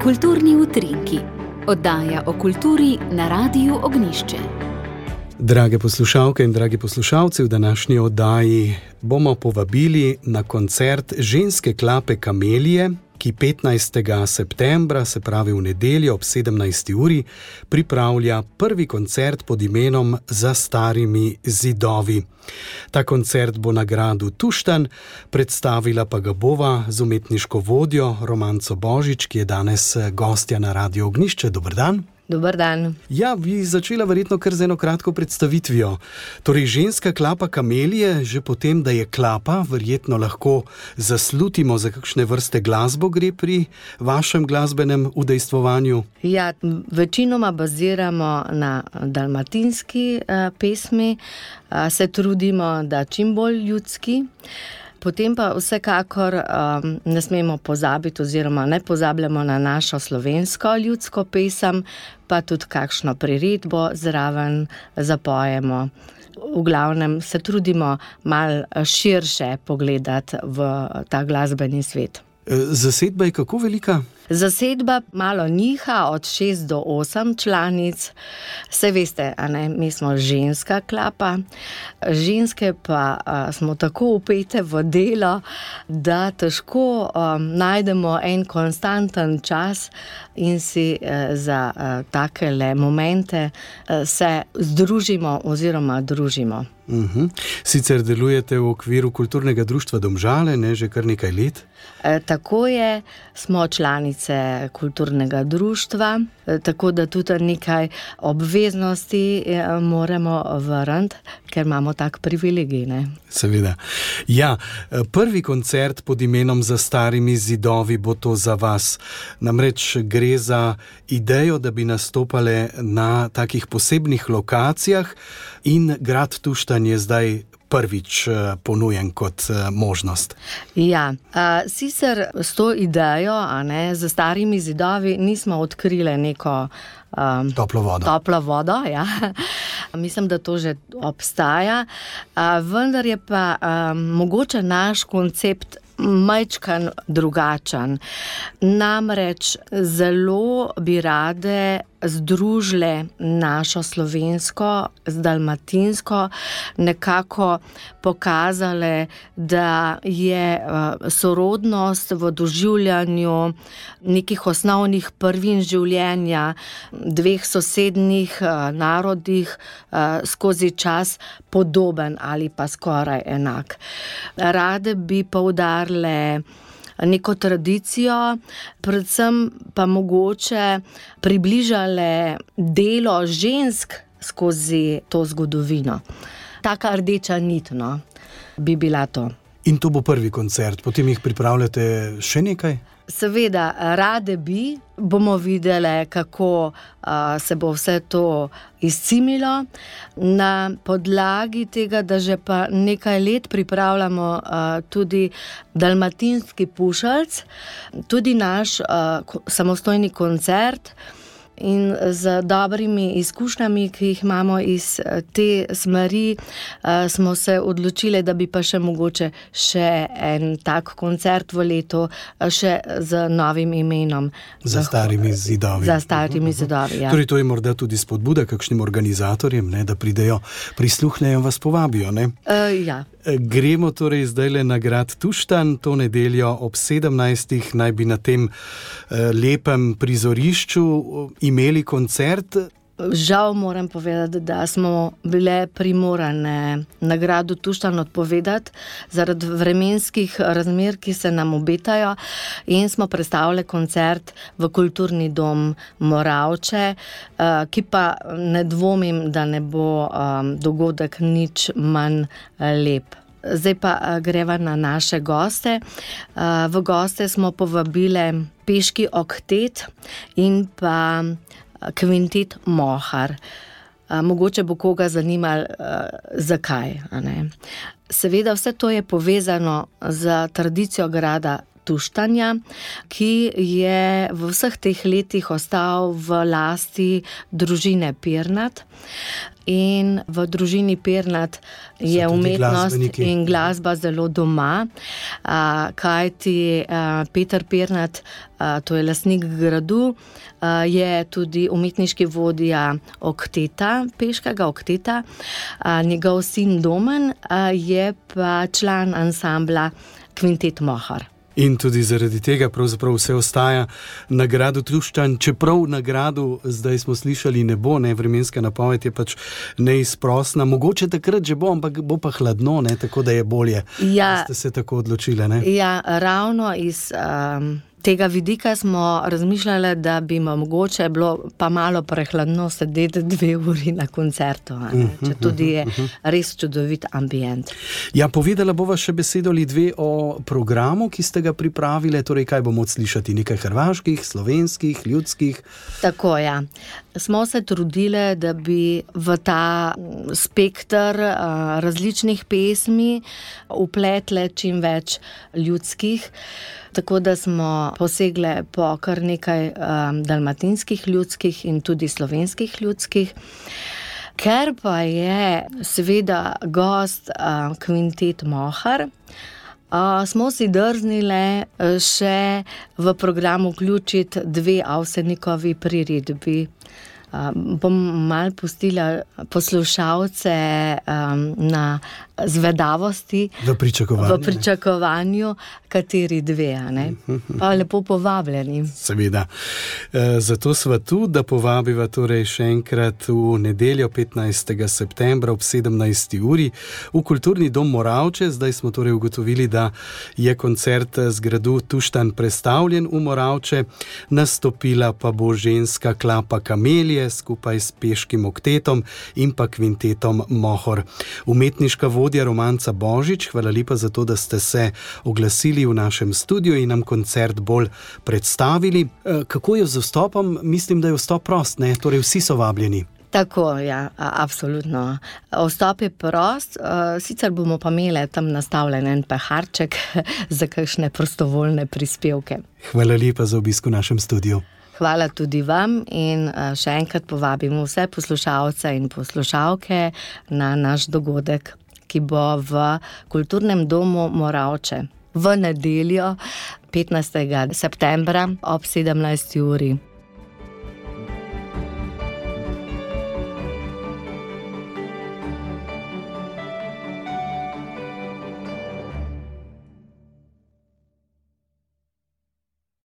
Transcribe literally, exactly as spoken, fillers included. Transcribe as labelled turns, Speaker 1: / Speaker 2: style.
Speaker 1: Kulturni utrinki. Oddaja o kulturi na Radiu Ognjišče.
Speaker 2: Drage poslušalke in dragi poslušalci, v današnji oddaji bomo povabili na koncert ženske klape Kamelije, ki petnajstega septembra, se pravi v nedeljo ob sedemnajsti uri, pripravlja prvi koncert pod imenom Za starimi zidovi. Ta koncert bo na gradu Tuštanj, predstavila pa ga bova z umetniško vodjo Romanco Božič, ki je danes gostja na Radiu Ognjišče. Dober dan.
Speaker 3: Dober dan.
Speaker 2: Ja, bi začela verjetno kar z eno kratko predstavitvijo. Torej, ženska klapa Kamelije, že potem, da je klapa, verjetno lahko zaslutimo, za kakšne vrste glasbo gre pri vašem glasbenem udejstvovanju.
Speaker 3: Ja, večinoma baziramo na dalmatinski uh, pesmi, uh, se trudimo, da čim bolj ljudski. Potem pa vsekakor um, ne smemo pozabiti oziroma ne pozabljamo na našo slovensko ljudsko pesem, pa tudi kakšno priredbo zraven zapojemo. V glavnem se trudimo malo širše pogledati v ta glasbeni svet.
Speaker 2: Zasedba je kako velika?
Speaker 3: Zasedba malo niha od šest do osem članic. Saj veste, a ne, mi smo ženska klapa. Ženske pa a, smo tako vpete v delo, da težko a, najdemo en konstanten čas in si a, za a, takele momente a, se združimo oziroma družimo.
Speaker 2: Uh-huh. Sicer delujete v okviru kulturnega društva Domžale, ne, že kar nekaj let?
Speaker 3: E, tako je, smo članice kulturnega društva, e, tako da tudi nekaj obveznosti e, moramo vrniti, ker imamo tak privilegij, ne?
Speaker 2: Seveda. Ja, prvi koncert pod imenom Za starimi zidovi bo to za vas. Namreč gre za idejo, da bi nastopale na takih posebnih lokacijah in grad Tuštanj je zdaj prvič ponujen kot možnost.
Speaker 3: Ja, sicer s to idejo, a ne, Za starimi zidovi nismo odkrile neko um,
Speaker 2: toplo vodo.
Speaker 3: Toplo vodo, ja. Mislim, da to že obstaja, vendar je pa um, mogoče naš koncept majčkan drugačen. Namreč zelo bi rade združile našo slovensko z dalmatinsko, nekako pokazale, da je sorodnost v doživljanju nekih osnovnih prvin življenja dveh sosednjih narodih skozi čas podoben ali pa skoraj enak. Rade bi poudarile neko tradicijo, predvsem pa mogoče približale delo žensk skozi to zgodovino. Taka rdeča nit, no, bi bila to.
Speaker 2: In to bo prvi koncert, potem jih pripravljate še nekaj?
Speaker 3: Seveda, rade bi, bomo videli, kako uh, se bo vse to izcimilo. Na podlagi tega, da že pa nekaj let pripravljamo uh, tudi dalmatinski pušelc, tudi naš uh, samostojni koncert, in z dobrimi izkušnjami, ki jih imamo iz te smeri, smo se odločili, da bi pa še mogoče še en tak koncert v letu, še z novim imenom.
Speaker 2: Za starimi zidovi.
Speaker 3: Za starimi zidovi, ja.
Speaker 2: Torej, to je morda tudi spodbuda kakšnim organizatorjem, ne, da pridejo, prisluhnejo, vas povabijo, ne?
Speaker 3: Uh, ja.
Speaker 2: Gremo torej zdajle na grad Tuštanj, to nedeljo ob sedemnajstih naj bi na tem eh, lepem prizorišču imeli koncert.
Speaker 3: Žal moram povedati, da smo bile primorane na gradu Tuštanj odpovedati zaradi vremenskih razmer, ki se nam obetajo, in smo prestavili koncert v kulturni dom Moravče, ki pa ne dvomim, da ne bo dogodek nič manj lep. Zdaj pa greva na naše goste. V goste smo povabile peški oktet in pa kvintet Mohar. Mogoče bo koga zanimalo, zakaj, a ne. Seveda vse to je povezano z tradicijo grada Tuštanja, ki je v vseh teh letih ostal v lasti družine Pirnat. In v družini Pirnat je umetnost in glasba zelo doma, kajti Peter Pirnat, to je lastnik gradu, je tudi umetniški vodja okteta, peškega okteta, njegov sin Domen je pa član ansambla Kvintet Mohor.
Speaker 2: In tudi zaradi tega pravzaprav vse ostaja na gradu Tuštanj, čeprav na gradu, zdaj smo slišali, ne bo, ne, vremenska napoved je pač neizprosna, mogoče takrat že bo, ampak bo pa hladno, ne, tako da je bolje, ja, da ste se tako odločile, ne?
Speaker 3: Ja, ravno iz um, tega vidika smo razmišljali, da bi mogoče bilo pa malo prehladno sedeti dve uri na koncertu, ne? Če tudi je res čudovit ambient.
Speaker 2: Ja, povedala bova še besedo ali dve o programu, ki ste ga pripravile, torej kaj bomo slišati, nekaj hrvaških, slovenskih, ljudskih?
Speaker 3: Tako, ja. Smo se trudile, da bi v ta spekter uh, različnih pesmi vpletle čim več ljudskih, tako da smo posegle po kar nekaj um, dalmatinskih ljudskih in tudi slovenskih ljudskih. Ker pa je seveda gost uh, Kvintet Mohor, uh, smo si drznile še v program vključiti dve Avsenikovi priredbi. Uh, bom malo pustila poslušalce um, na zvedavosti,
Speaker 2: v pričakovanju,
Speaker 3: v pričakovanju kateri dve, ne? Pa lepo povabljeni.
Speaker 2: Seveda. E, zato sva tu, da povabiva torej še enkrat v nedeljo petnajstega septembra ob sedemnajsti uri v Kulturni dom Moravče. Zdaj smo torej ugotovili, da je koncert z gradu Tuštanj prestavljen v Moravče, nastopila pa bo ženska klapa Kamelije skupaj s peškim oktetom in pa Kvintetom Mohor. Umetniška vodja Romanca Božič, hvala lepa za to, da ste se oglasili v našem studiu in nam koncert bolj predstavili. Kako je z vstopom? Mislim, da je vstop prost, ne? Torej vsi so vabljeni.
Speaker 3: Tako, ja, absolutno. Vstop je prost, sicer bomo pa imeli tam nastavljen en peharček za kakšne prostovoljne prispevke.
Speaker 2: Hvala lepa za obisk v našem studiu.
Speaker 3: Hvala tudi vam in še enkrat povabimo vse poslušalce in poslušalke na naš dogodek, ki bo v Kulturnem domu Moravče v nedeljo petnajstega septembra ob sedemnajsti uri.